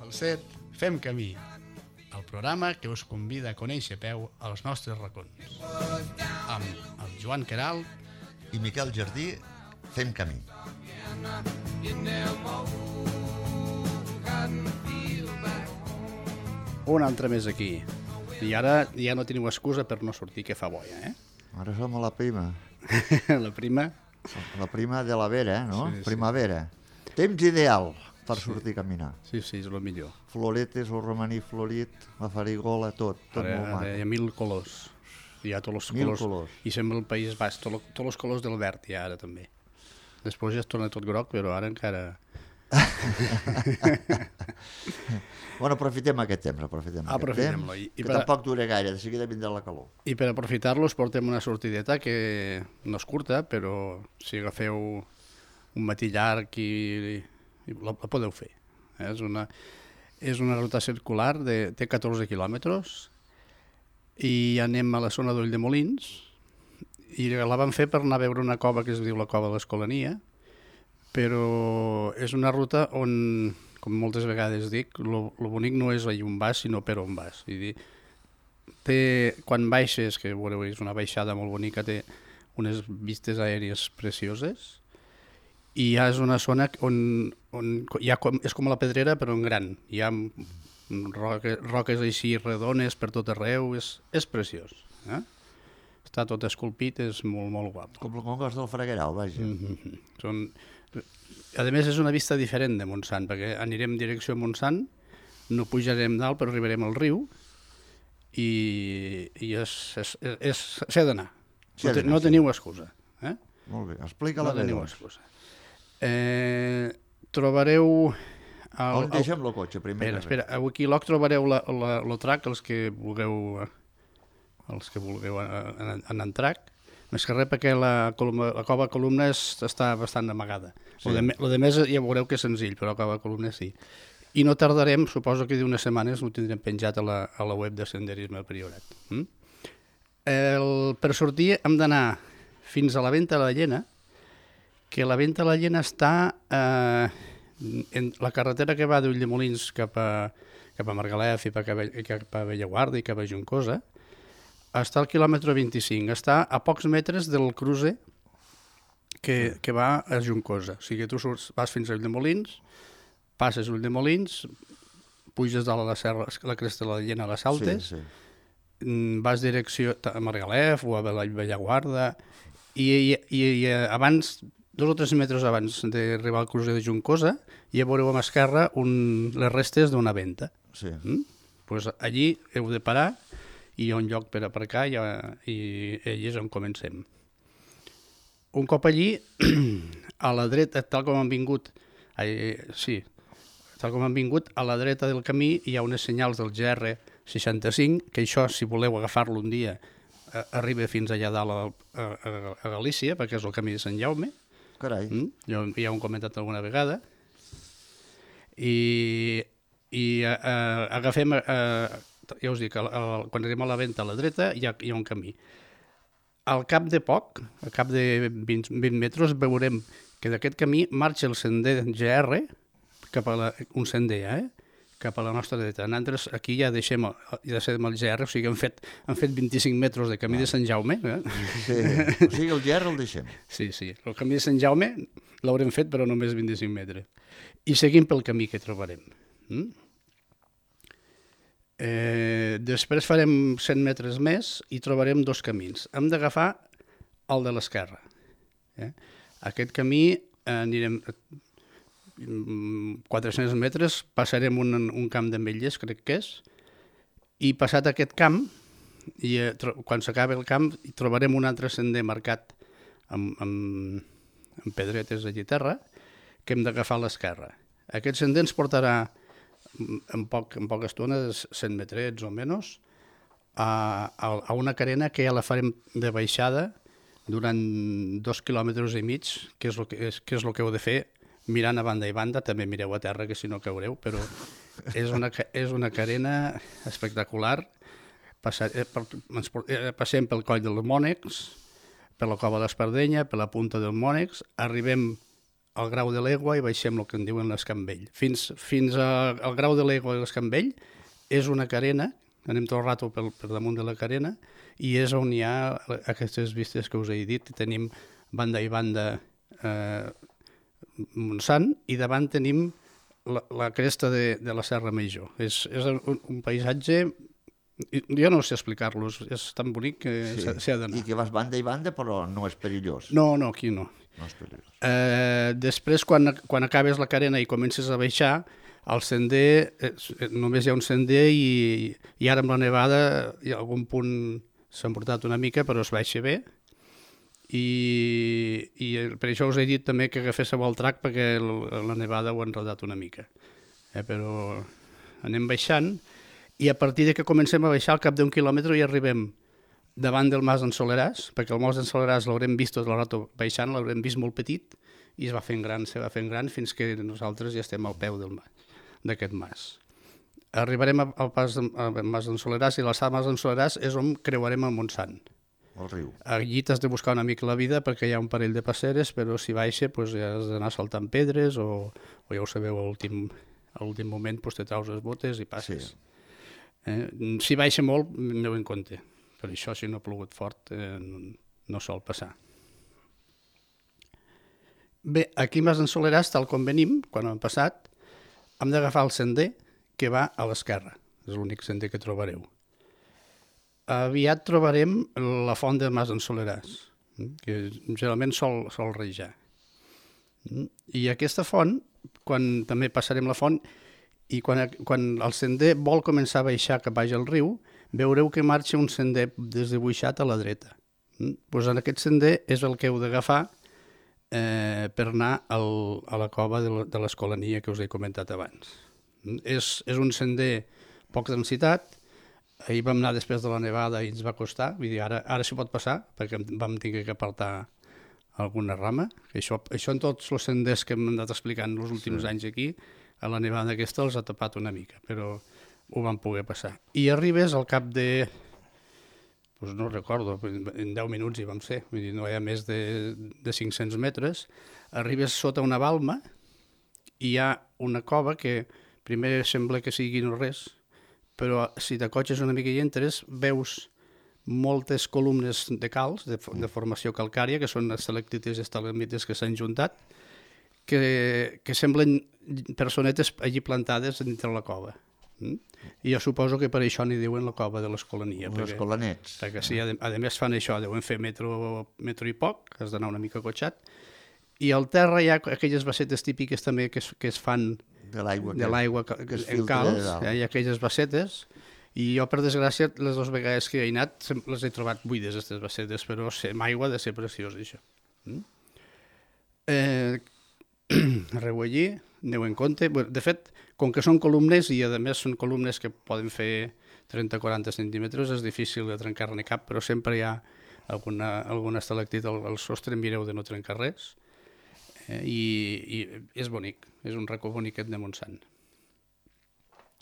Falset, Fem Camí, el programa que us convida a conèixer a peu als nostres racons. Amb el Joan Queralt i Miquel Jardí, Fem Camí. Un altre més aquí. I ara ja no teniu excusa per no sortir, que fa boia, eh? Ara som a la prima. La prima? La prima de la Vera, no? Sí, sí. Primavera. Temps ideal per sortir a caminar. Sí, sí, és el millor. Floretes, el romaní florit, la farigola, tot Ara molt maco. hi ha 1000 colors. Hi ha tots els 1000 colors. colors. I sembla el País Basc, tots els colors del verd hi ha ara també. Després ja es torna tot groc, però ara encara... Bueno, aprofitem aquest temps, Aprofitem-lo. Que tampoc dura gaire, de seguida vindrà la calor. I per aprofitar-los portem una sortideta que no és curta, però si agafeu un matí llarg i la podeu fer. És una ruta circular, té 14 quilòmetres i anem a la zona d'Ulldemolins i la vam fer per anar a veure una cova que es diu la Cova de l'Escolania, però és una ruta on, com moltes vegades dic, lo bonic no és allà on vas, sinó per on vas. Quan baixes, que veureu, és una baixada molt bonica, té unes vistes aèries precioses i ja és una zona on és com la Pedrera però en gran. Hi ha roques així redones per tot arreu, és preciós. Està tot esculpit, és molt, molt guapo. Com el Congost del Fraguerau, vaja. A més, és una vista diferent de Montsant, perquè anirem en direcció a Montsant, no pujarem dalt, però arribarem al riu i s'ha d'anar. No teniu excusa. Molt bé, explica-la bé. No teniu excusa. Trobareu... On deixem el cotxe, primer? Espera, aquí a l'Oc trobareu el trac, els que vulgueu anar en trac. Més que res perquè la cova columna està bastant amagada. Sí. Lo de més ja veureu que és senzill, però la cova columna sí. I no tardarem, suposo que d'unes setmanes ho tindrem penjat a la web de Senderisme al Priorat. Per sortir hem d'anar fins a la Venta de la Llena, que la Venta de la Llena està en la carretera que va d'Ulldemolins cap a Margalef i cap a Bellaguarda i cap a Juncosa, està al quilòmetre 25, està a pocs metres del cruce que va a Juncosa. O sigui, tu vas fins a Ulldemolins, passes Ulldemolins, puges dalt a la serra, la cresta de la Llena a les Altes, vas direcció a Margalef o a Bellaguarda i abans, 2 o 3 metres abans d'arribar al cruce de Juncosa, ja veureu a l'esquerra les restes d'una venta. Sí. Pues allí heu de parar i hi ha un lloc per aparcar i allí és on comencem. Un cop allí, a la dreta, tal com han vingut, a la dreta del camí hi ha unes senyals del GR65, que això, si voleu agafar-lo un dia, arriba fins allà dalt a Galícia, perquè és el camí de Sant Jaume. Carai. Ja ho hem comentat alguna vegada. I agafem... ja us dic, quan arribem a la Venta a la dreta hi ha un camí. Al cap de poc, al cap de 20 metres, veurem que d'aquest camí marxa el sender GR, un sender, cap a la nostra dreta. Nosaltres aquí ja deixem el GR, o sigui, han fet 25 metres de camí de Sant Jaume. Sí, o sigui, el GR el deixem. Sí, el camí de Sant Jaume l'haurem fet, però només 25 metres. I seguim pel camí que trobarem. Després farem 100 metres més i trobarem 2 camins. Hem d'agafar el de l'esquerra. Aquest camí anirem 400 metres, passarem un camp d'ametlles, crec que és, i passat aquest camp, quan s'acaba el camp, trobarem un altre sender marcat amb pedretes allà a terra, que hem d'agafar a l'esquerra. Aquest sender ens portarà en poca estona, 100 metrets o menys, a una carena que ja la farem de baixada durant 2 quilòmetres i mig, que és el que heu de fer mirant a banda i banda. També mireu a terra, que si no caureu, però és una carena espectacular. Passem pel coll dels Mònecs, per la cova d'Espardenya, per la punta del Mònecs, arribem al Grau de l'Egua i baixem el que en diuen l'Escambell. Fins al Grau de l'Egua i l'Escambell és una carena, anem tot el rato per damunt de la carena, i és on hi ha aquestes vistes que us he dit. Tenim banda i banda Montsant, i davant tenim la cresta de la Serra Major. És un paisatge, jo no sé explicar-los, és tan bonic que s'ha d'anar. I que vas banda i banda, però no és perillós. No, aquí no. No és perillós. Després, quan acabes la carena i comences a baixar, el sender, només hi ha un sender i ara amb la nevada hi ha algun punt s'ha emportat una mica, però es baixa bé. I per això us he dit també que agaféssiu el trac, perquè la nevada ho ha enredat una mica. Però anem baixant, i a partir de que comencem a baixar, al cap d'un quilòmetre ja arribem davant del Mas d'en Soleràs, perquè el Mas d'en Soleràs l'haurem vist tot el rato baixant, l'haurem vist molt petit, i se va fent gran fins que nosaltres ja estem al peu d'aquest mas. Arribarem al Mas d'en Soleràs, i l'alçada Mas d'en Soleràs és on creuarem el Montsant. El riu. Allí t'has de buscar una mica la vida, perquè hi ha un parell de passeres, però si baixa ja has d'anar saltant pedres, o ja ho sabeu, a l'últim moment te traus les botes i passes. Sí. Si baixa molt, aneu en compte. Per això, si no ha plogut fort, no sol passar. Bé, aquí a Mas d'en Soleràs, tal com venim, quan hem passat, hem d'agafar el sender que va a l'esquerra. És l'únic sender que trobareu. Aviat trobarem la font de Mas d'en Soleràs, que generalment sol rejar. I aquesta font, quan també passarem la font, i quan el sender vol començar a baixar cap baix al riu, veureu que marxa un sender desdibuixat a la dreta. Doncs en aquest sender és el que heu d'agafar per anar a la cova de l'Escolania que us he comentat abans. És un sender poc densitat. Ahir vam anar després de la nevada i ens va costar, vull dir, ara s'hi pot passar, perquè vam tenir que apartar alguna rama. Això en tots els senders que hem anat explicant els últims anys aquí, a la nevada aquesta els ha tapat una mica, però ho vam poder passar. I arribes al cap de, no recordo, en 10 minuts hi vam ser, vull dir, no hi ha més de 500 metres, arribes sota una balma i hi ha una cova que primer sembla que sigui no res, però si t'acotxes una mica i entres, veus moltes columnes de calç, de formació calcària, que són estalactites i estalagmites que s'han juntat, que semblen personetes allí plantades dintre la cova. I jo suposo que per això n'hi diuen la cova de l'Escolania. Els escolanets. Perquè si a més fan això, deuen fer metro i poc, has d'anar una mica acotxat, i al terra hi ha aquelles bassetes típiques també que es fan de l'aigua en calç, hi ha aquelles bassetes, i jo, per desgràcia, les dues vegades que he anat les he trobat buides, aquestes bassetes, però amb aigua ha de ser preciós, això. Arreu allí, aneu en compte. De fet, com que són columnes, i a més són columnes que poden fer 30-40 centímetres, és difícil de trencar-ne cap, però sempre hi ha alguna estalactit al sostre, mireu de no trencar res. I és bonic, és un racó boniquet de Montsant.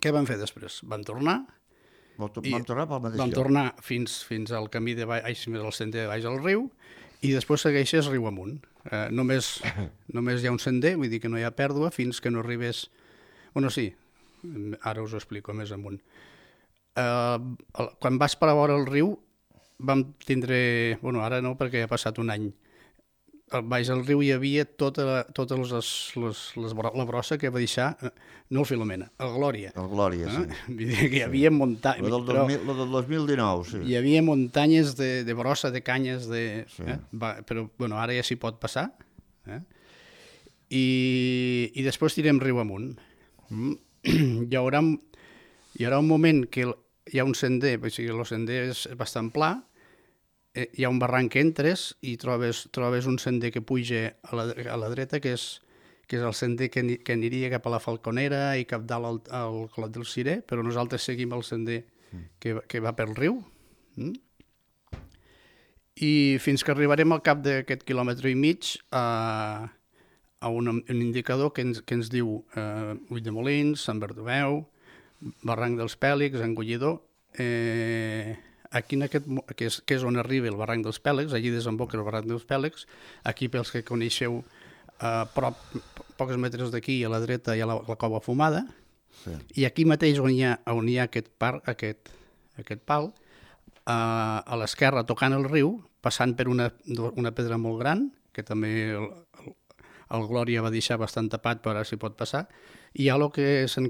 Què vam fer després? Vam tornar fins al camí de baix, al sender de baix al riu, i després segueixes riu amunt. Només hi ha un sender, vull dir que no hi ha pèrdua fins que no arribes... Bueno, sí, ara us ho explico més amunt. Quan vas per a vora el riu vam tindre... Bueno, ara no, perquè ja ha passat un any. Baix al riu hi havia tota la brossa que va deixar, no el Filomena, el Glòria. El Glòria, sí. Vull dir que hi havia muntanyes... La del 2019, sí. Hi havia muntanyes de brossa, de canyes, però bueno, ara ja s'hi pot passar. I després tirem riu amunt. Hi haurà un moment que hi ha un sender, o sigui, el sender és bastant pla, hi ha un barranc que entres i trobes un sender que puja a la dreta, que és el sender que aniria cap a la Falconera i cap dalt al Clot del Cirer, però nosaltres seguim el sender que va pel riu. I fins que arribarem al cap d'aquest quilòmetre i mig a un indicador que ens diu Ulldemolins, Sant Bartomeu, Barranc dels Pèlics, Engollidor. Aquí, que és on arriba el barranc dels Pèlegs, allí desemboca el barranc dels Pèlegs. Aquí, pels que coneixeu a prop, pocs metres d'aquí, a la dreta, hi ha la Cova Fumada, Sí. i aquí mateix on hi ha aquest pal, a l'esquerra, tocant el riu, passant per una pedra molt gran, que també el Glòria va deixar bastant tapat, però ara s'hi pot passar, i hi ha el que se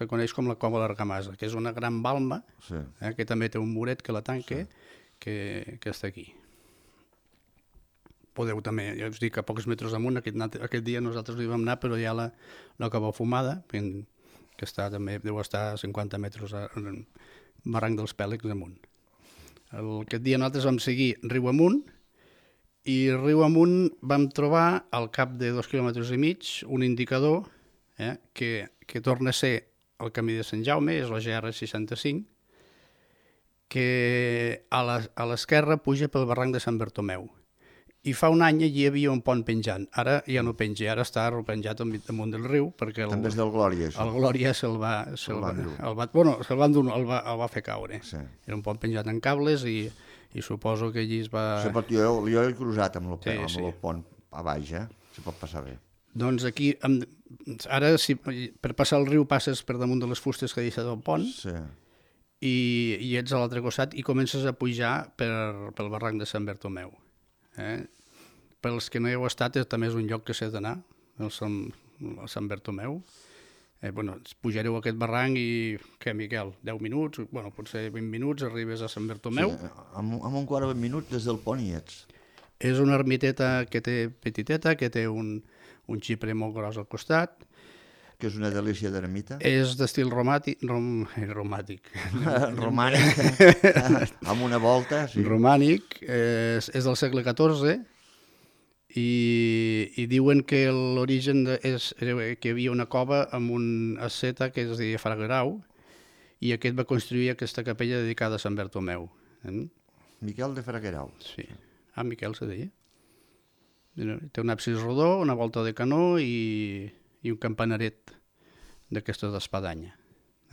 coneix com la Cova de l'Argamasa, que és una gran balma, Sí. que també té un muret que la tanca, que està aquí. Podeu també, ja us dic, a pocs metres amunt, aquest dia nosaltres hi vam anar, però hi ha la Cova Fumada, que està també, deu estar a 50 metres en barranc dels Pèlegs amunt. Aquest dia nosaltres vam seguir riu amunt, i riu amunt vam trobar, al cap de 2,5 quilòmetres, un indicador que torna a ser el camí de Sant Jaume, és la GR65, que a l'esquerra puja pel barranc de Sant Bartomeu. I fa un any allí hi havia un pont penjant. Ara ja no penja, ara està repenjat damunt del riu, perquè També és del Glòria, això. el Glòria se'l va fer caure. Sí. Era un pont penjat en cables i suposo que allí es va... Sí, però jo he cruzat amb Sí. el pont a baix, se pot passar bé. Doncs aquí, ara per passar el riu passes per damunt de les fustes que ha deixat el pont Sí. i ets a l'altre costat i comences a pujar pel barranc de Sant Bartomeu. Pels que no hi heu estat, també és un lloc que s'ha d'anar, el Sant Bartomeu. Pujareu aquest barranc i, què, Miquel, 10 minuts, potser 20 minuts, arribes a Sant Bartomeu. Sí, amb un quart de 20 minuts des del pont hi ets. És una ermiteta que té petiteta, que té un xipre molt gros al costat. Que és una delícia d'ermita. És d'estil romànic. Romànic. Amb una volta, sí. Romànic, és del segle XIV i diuen que l'origen és que hi havia una cova amb un asceta que es deia Fragrau i aquest va construir aquesta capella dedicada a Sant Bartomeu. Miquel de Fraguerau. Sí. Miquel se deia. Té un absis rodó, una volta de canó i un campanaret d'aquestes d'espadanya.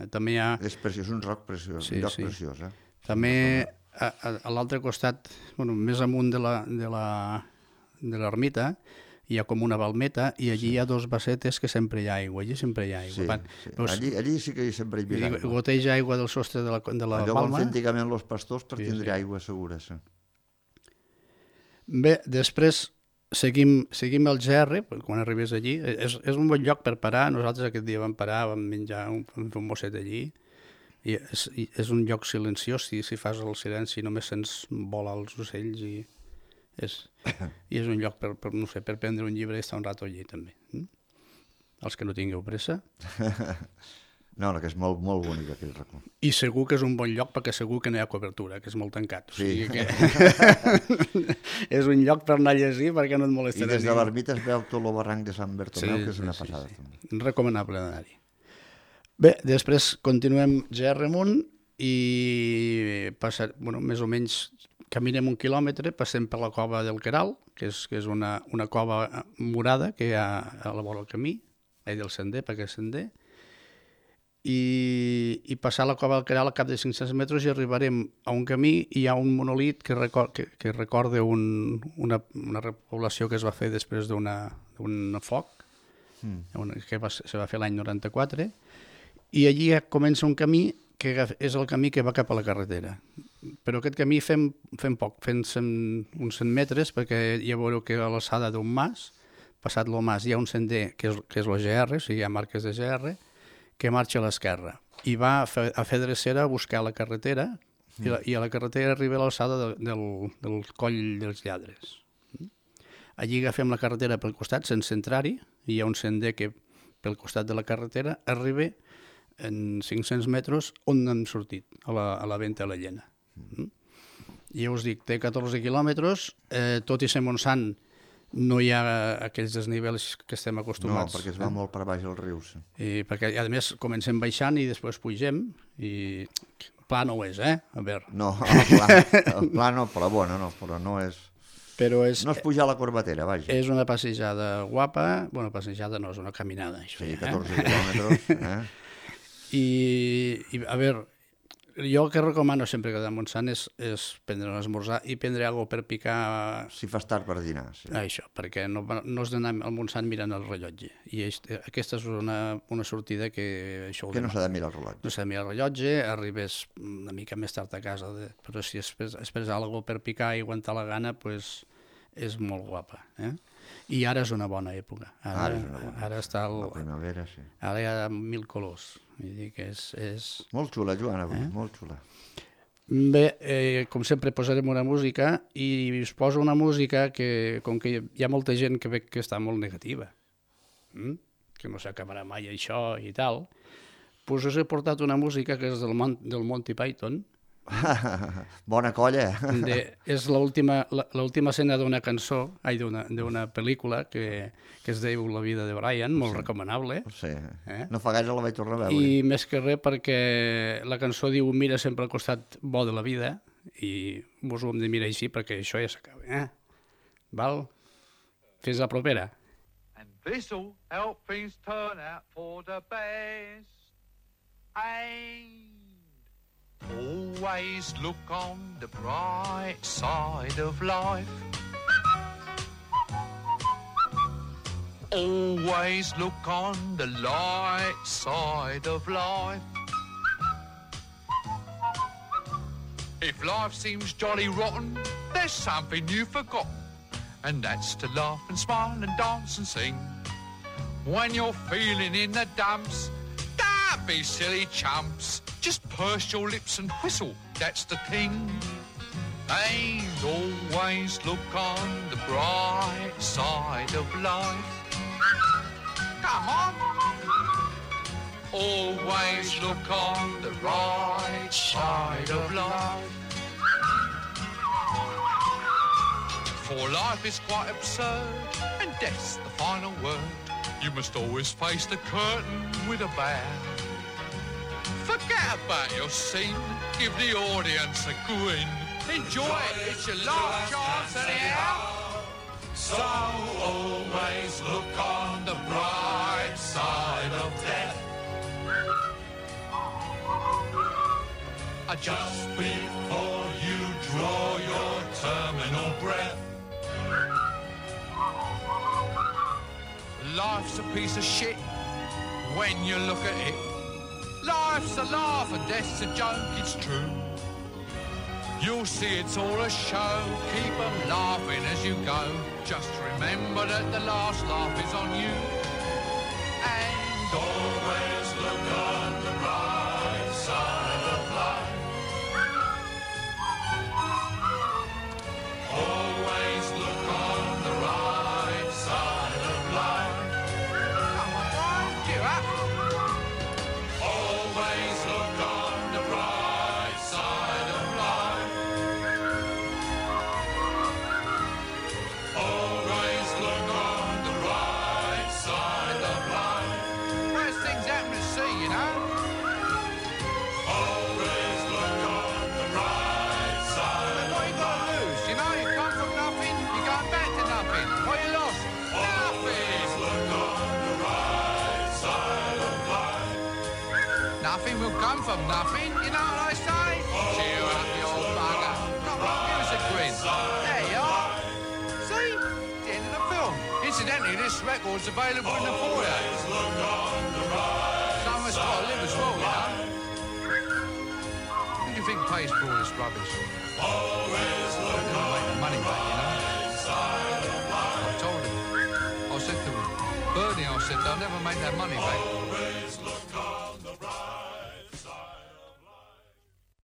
També hi ha... És preciós, un roc preciós, Sí, un lloc sí. preciós. També a l'altre costat, més amunt de l'ermita, hi ha com una balmeta i allí hi ha dos bassetes que sempre hi ha aigua. Allí sempre hi ha aigua. Sí. Allí sí que sempre hi havia aigua. Goteja aigua del sostre de la Allò van balma. fer antigament els pastors per Sí, tindre aigua segura. Sí. Bé, després seguim el GR, quan arribes allí. És un bon lloc per parar. Nosaltres aquest dia vam parar, vam menjar, vam fer un mosset allí. I és un lloc silenciós, si fas el silenci només sents volar els ocells i és un lloc per prendre un llibre i estar un rato allí també. Els que no tingueu pressa. No, que és molt, molt bonic aquell racó. I segur que és un bon lloc perquè segur que no hi ha cobertura, que és molt tancat. O sigui que és un lloc per anar a llegir perquè no et I molestarà. des de l'ermita es veu tot el barranc de Sant Bartomeu, que és una passada. Sí. Recomanable d'anar-hi. Bé, després continuem GR amunt i més o menys caminem 1 quilòmetre, passem per la cova del Queral, que és una cova morada que hi ha a la vora del camí, del sender, perquè és sender, i passar la cova del Queral al cap de 500 metres i arribarem a un camí i hi ha un monolit que recorda una repoblació que es va fer després d'un foc, que se va fer l'any 94, i allí comença un camí que és el camí que va cap a la carretera. Però aquest camí fem poc, fem uns 100 metres, perquè ja veureu que a l'alçada d'un mas, passat el mas, hi ha un sender que és la GR, o sigui, hi ha marques de GR, que marxa a l'esquerra. I va a fer drecera a buscar la carretera, i a la carretera arriba a l'alçada del coll dels Lladres. Allí agafem la carretera pel costat, sense entrar-hi, i hi ha un sender que pel costat de la carretera arriba en 500 metres on hem sortit, a la Venta de la Llena. I ja us dic, té 14 quilòmetres, tot i ser Montsant no hi ha aquells desnivels que estem acostumats. No, perquè es va molt per baix el riu. Sí. Perquè, a més, comencem baixant i després pugem, i pla no ho és, a veure. No, el pla no, però no és... Però és... No és pujar a la corbatera, vaja. És una passejada guapa, passejada no, és una caminada, això. Sí, 14 quilòmetres, I a veure, Jo el que recomano sempre que de Montsant és prendre un esmorzar i prendre alguna per picar. Si fas tard per dinar, sí. Això, perquè no has d'anar al Montsant mirant el rellotge. I aquesta és una sortida que això ho Que no s'ha de mirar el rellotge. No s'ha de mirar el rellotge, arribes una mica més tard a casa, però si esperes alguna per picar i aguantar la gana, doncs és molt guapa. I ara és una bona època. Ara està la primavera, sí. Ara hi ha 1000 colors. Vull dir que és... Molt xula, Joan, avui, molt xula. Bé, com sempre posarem una música i us poso una música que, com que hi ha molta gent que veig que està molt negativa, que no s'acabarà mai això i tal, doncs us he portat una música que és del Monty Python. Bona colla. És l'última escena d'una cançó, d'una pel·lícula que es diu La vida de Brian, molt recomanable. Sí, no fa gaire la vaig tornar a veure. I més que res perquè la cançó diu mira sempre al costat bo de la vida i vos ho hem de mirar així perquè això ja s'acaba. Val? Fins la propera. And this'll help things turn out for the best. Always look on the bright side of life. Always look on the light side of life. If life seems jolly rotten, there's something you've forgotten, and that's to laugh and smile and dance and sing. When you're feeling in the dumps, don't be silly chumps. Just purse your lips and whistle, that's the thing. And always look on the bright side of life. Come on. Always look on the right side of life. For life is quite absurd, and death's the final word. You must always face the curtain with a bow. Forget about your scene, give the audience a grin. Enjoy it, it's your last chance anyhow. So always look on the bright side of death. Just before you draw your terminal breath. Life's a piece of shit when you look at it. Life's a laugh and death's a joke, it's true. You'll see it's all a show, keep 'em laughing as you go. Just remember that the last laugh is on you. And always look on the right side of life. Always look on the right side of life. Come on, Brian, cheer up. Always look on the bright side of life. Always look on the right side of life. Worst things happen to see, you know. Always look on the right side. What you got to lose, you know? You come from nothing, you're going back to nothing. What you lost? Nothing. Look on the right side of life. Nothing will come from nothing, you know what I say? Cheer up, you old bugger. Come on, give us a grin. There you are. See? It's the end of the film. Incidentally, this record's available in the foyer. Someone's got to live as well, you know. Who do you think pays for all this rubbish? Always look on make the money back, you know. I told him. I said to him, Bernie, I said, they'll never make that money back.